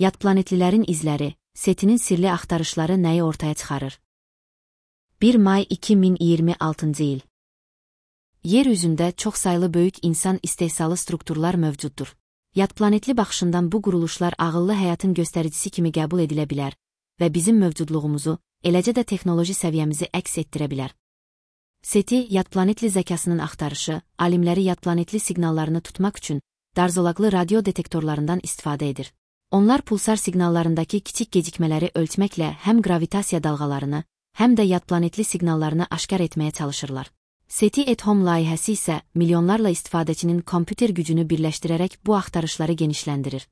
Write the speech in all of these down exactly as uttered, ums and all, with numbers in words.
Yad planetlilərin izləri, SETI'nin sirli axtarışları nəyi ortaya çıxarır? bir may iki min iyirmi altıncı il. Yer üzündə çoxsaylı böyük insan istehsalı strukturlar mövcuddur. Yad planetli baxışından bu quruluşlar ağıllı həyatın göstəricisi kimi qəbul edilə bilər və bizim mövcudluğumuzu, eləcə də texnoloji səviyyəmizi əks etdirə bilər. SETI, yad planetli zəkasının axtarışı, alimləri yad planetli siqnallarını tutmaq üçün darzolaqlı radio detektorlarından istifadə edir. Onlar pulsar siqnallarındakı kiçik gecikmələri ölçməklə həm gravitasiya dalğalarını, həm də yad planetli siqnallarını aşkar etməyə çalışırlar. SETI-at-Home layihəsi isə milyonlarla istifadəçinin kompüter gücünü birləşdirərək bu axtarışları genişləndirir.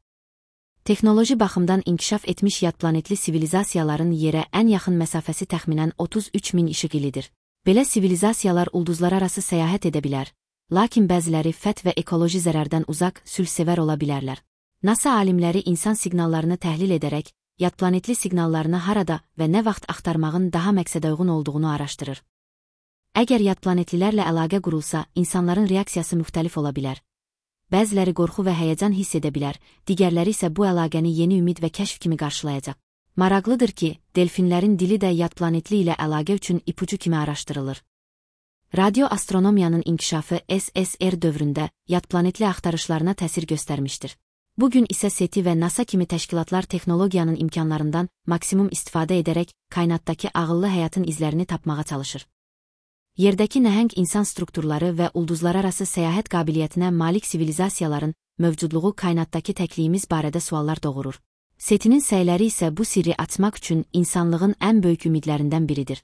Texnoloji baxımdan inkişaf etmiş yad planetli sivilizasiyaların yerə ən yaxın məsafəsi təxminən otuz üç min işıq ilidir. Belə sivilizasiyalar ulduzlararası səyahət edə bilər, lakin bəziləri fət və ekoloji zərərdən uzaq, sülhsevər ola bilərlər. NASA alimləri insan siqnallarını təhlil edərək, yad planetli siqnallarını harada və nə vaxt axtarmağın daha məqsədəuyğun olduğunu araşdırır. Əgər yad planetlilərlə əlaqə qurulsa, insanların reaksiyası müxtəlif ola bilər. Bəziləri qorxu və həyəcan hiss edə bilər, digərləri isə bu əlaqəni yeni ümid və kəşf kimi qarşılayacaq. Maraqlıdır ki, delfinlərin dili də yad planetli ilə əlaqə üçün ipucu kimi araşdırılır. Radioastronomiyanın inkişafı S S R dövründə yad planetli axtarışlarına təsir göstərmişdir. Bugün isə SETI və NASA kimi təşkilatlar texnologiyanın imkanlarından maksimum istifadə edərək kainatdakı ağıllı həyatın izlərini tapmağa çalışır. Yerdəki nəhəng insan strukturları və ulduzlararası səyahət qabiliyyətinə malik sivilizasiyaların mövcudluğu kainatdakı təkliyimiz barədə suallar doğurur. SETI'nin səyləri isə bu sirri açmaq üçün insanlığın ən böyük ümidlərindən biridir.